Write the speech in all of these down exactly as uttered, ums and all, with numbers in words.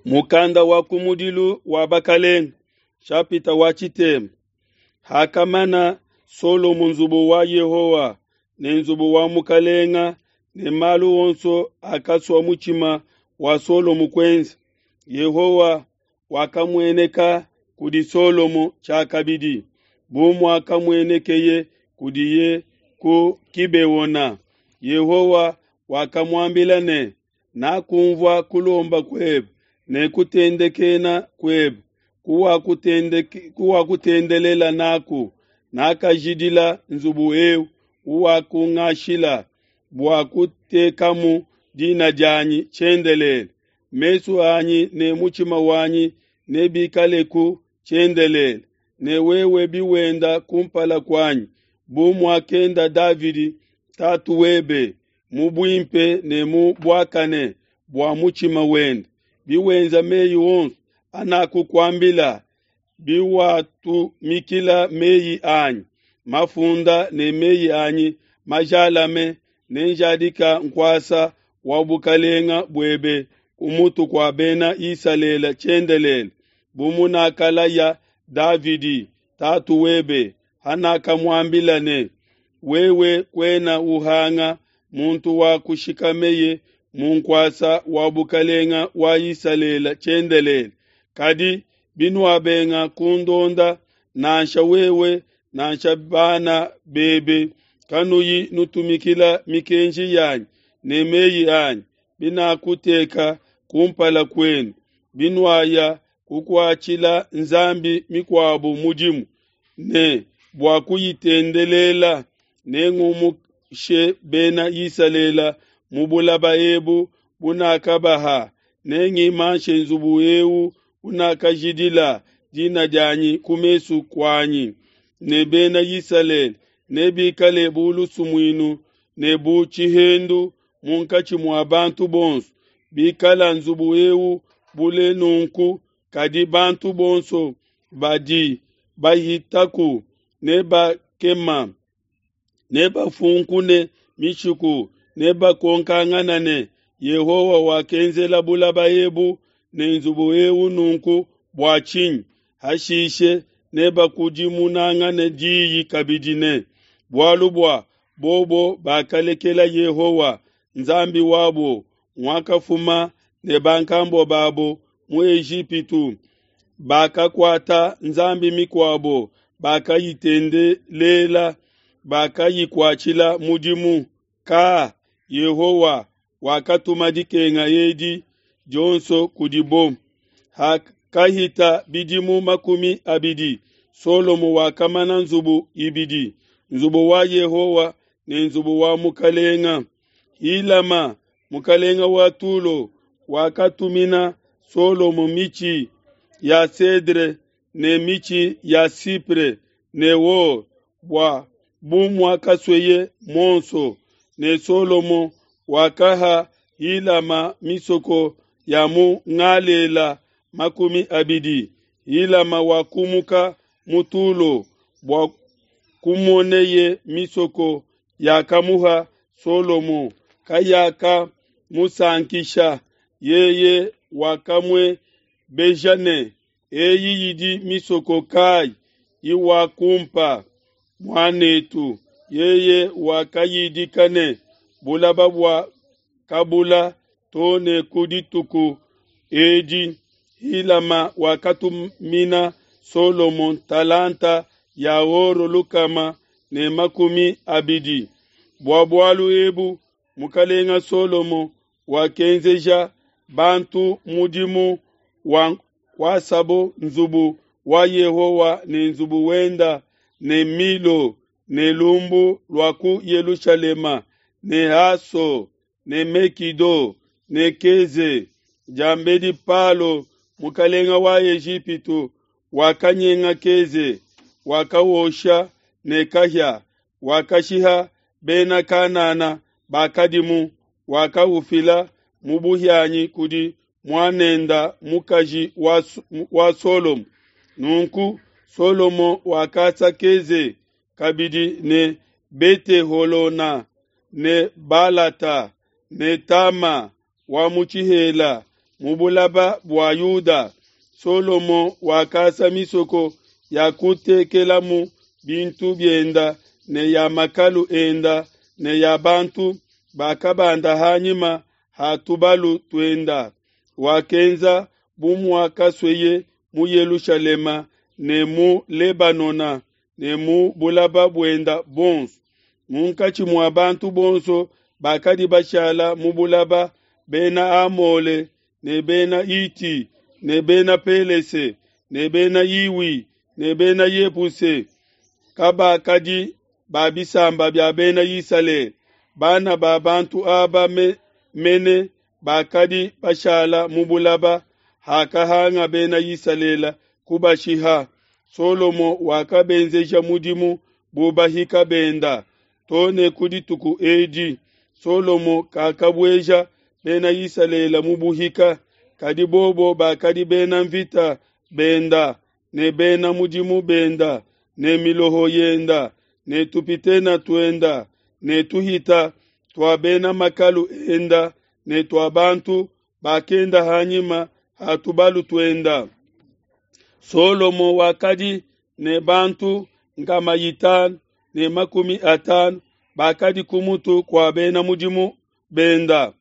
Mukanda wa kumudilu wa Bakalenga, nshapita wa tshitema. Hakamana Solomo nzubu wa Yehowa ne nzubu wa mukalenga ne malu onso akasua mutshima wa Solomo kuenza, Yehowa wakamueneka kudi Solomo tshiakabidi, bu muakamuenekeye kudiye ku Gibeona. Yehowa wakamuambila ne, Nakunvua kulomba kuebe ne kutendekena kuebe kuwakutendelela naku, nakajidila nzubu eu uwakungashila bua kutekamu dina dianyi tshiendelele. Mesu anyi ne mutshima wanyi nebikaleku tshiendelele, ne wewe biwenda kumpala kuanyi bu muakenda Davidi tatu webe mu buimpe ne mu buakane bua mutshima wende, biwenza meyi onso anakukuambila, biwatumikila meyi anyi mafunda ne meyi anyi majalame, nenjadika nkuasa wa bukalenga buebe ku mutu kua bena Isalele tshiendelele, bu munakalaya Davidi tatu webe, hanakamuambila ne, Wewe kuena uhanga muntu wa kushikameye mu nkuasa wa bukalenga wa Isalele tshiendelele. Kadi binuabenga kundonda, nansha wewe nansha bana bebe, kanuyi nutumikila mikenji yanyi ne meyi anyi binakuteka kumpala kuenu, binuaya kukuatshila nzambi mikuabo mudimu ne bua kuyitendelela, nengumushe bena Isalele mu bulaba ebu bunakabaha, nengimanshe nzubu eu unakajidila dina dianyi ku mesu kuanyi, ne bena Isalele nebikale bu lusumuinu ne bu tshihendu munkatshi mua bantu bonso. Bikala nzubu eu bule nunku, kadi bantu bonso badi bahitaku nebakema, nebafunkune mishiku, nebakonkangana ne, Yehowa wakenzela bulaba ebu ne nzubu eu nunku bua tshinyi? Hashishe nebakudimunangane diyi kabidi ne, Bualu bua bobo bakalekela Yehowa, Nzambi wabo, nguakafuma ne bankambua babo mu Ejipitu, bakakuata nzambi mikuabo, bakayitendelela, bakayikuatshila mudimu. Ka Yehowa wakatuma dikenga edi dionso kudibo. Hakahita bidimu makumi abidi, Solomo wakamana nzubu ibidi, nzubu wa Yehowa ne nzubu wa mukalenga. Hilama, mukalenga wa Tulo, wakatumina Solomo mitshi ya cedre ne mitshi ya cypre ne or bua bu muakasueye muonso, ne Solomo wakaha Hilama misoko ya mu Ngalela makumi abidi. Hilama wakumuka mu Tulo bua kumoneye misoko yakamuha Solomo, kayakamusankisha. Yeye wakamuebeja ne, Eyi idi misoko kayi iwakumpa, muan'etu? Yeye wakayidika ne, Bulaba bua Kabula to ne ku dituku edi. Hilama wakatumina Solomo ntalanta ya or lukama ne makumi abidi. Bua bualu ebu mukalenga Solomo wakenzeja bantu mudimu wa kuasabo nzubu wa Yehowa ne nzubu wenda ne Milo ne lumbu lua ku Yelushalema ne Haso ne Mekido ne Keze. Diambedi Palo mukalenga wa Ejipitu wakanyenga Keze, wakawosha ne kahia, wakashiha bena Kanana bakadimu, wakaufila mu buhianyi kudi muanenda mukaji wa, wa Solomo. Nunku Solomo wakasa Keze kabidi ne Bete-holona ne Balata ne Tama wa mu tshihela mu bulaba bua Yuda. Solomo wakasa misoko ya kutekelamu bintu bienda ne ya makalu enda ne ya bantu bakabanda hanyima ha tubalu tuenda. Wakenza bu muakasueye mu Yelushalema ne mu Lebanona ne mu bulaba buenda buonso. Munkatshi mua bantu bonso bakadi bashala mu bulaba, bena Amole ne bena Iti ne bena Pelese ne bena Iwi ne bena Yebuse kabakadi ba bisamba bia bena Isalele. Bana ba bantu aba me, mene bakadi bashala mu bulaba hakahanga bena Isalele kubashiha. Solomo wakabenzeja mudimu bu bahika benda to ne ku dituku edi. Solomo kakabueja bena Isalele mu buhika, kadi bobo bakadi bena mvita benda ne bena mudimu benda ne miloho yenda ne tupitena tuenda ne tuhita tua bena makalu enda ne tua bantu bakenda hanyima ha tubalu tuenda. Solomo wakadi ne bantu nkama itanu ne makumi atanu bakadi ku mutu kua bena mudimu benda.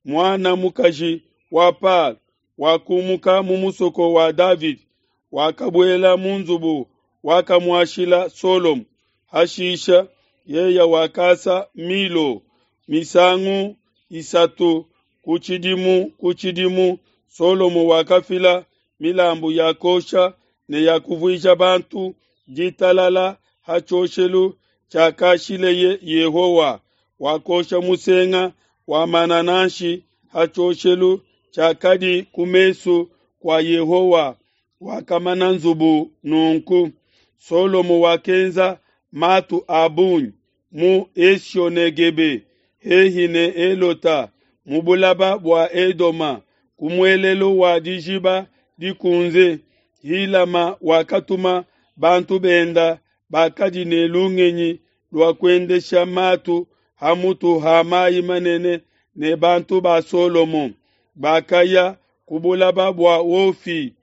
Muana mukaji wa Palo wakumuka mu musoko wa Davidi, wakabuela mu nzubu wakamuashila Solomo. Hashisha yeya wakasa Milo misangu isatu ku tshidimu ku tshidimu. Solomo wakafila milambu ya kosha ne ya kuvuija bantu ditalala ha tshioshelu tshiakashileye Yehowa. Wakosha musenga wa manananshi ha tshioshelu tshiakadi ku mesu kua Yehowa. Wakamana nzubu nunku. Solomo wakenza matu a bungi mu Esione-Gebe hehi ne Elota mu bulaba bua Edoma ku muelelu wa dijiba dikunze. Hilama wakatuma bantu benda bakadi ne lungenyi lua kuendesha matu ha mutu ha mayi manene ne bantu ba Solomo bakaya ku bulaba bua Ofi.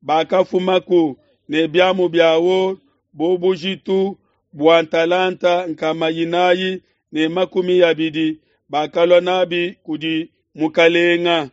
Bakafumaku ne biamu bia or bu bujitu bua ntalanta nkama inayi ne makumi abidi, bakalua nabi kudi mukalenga.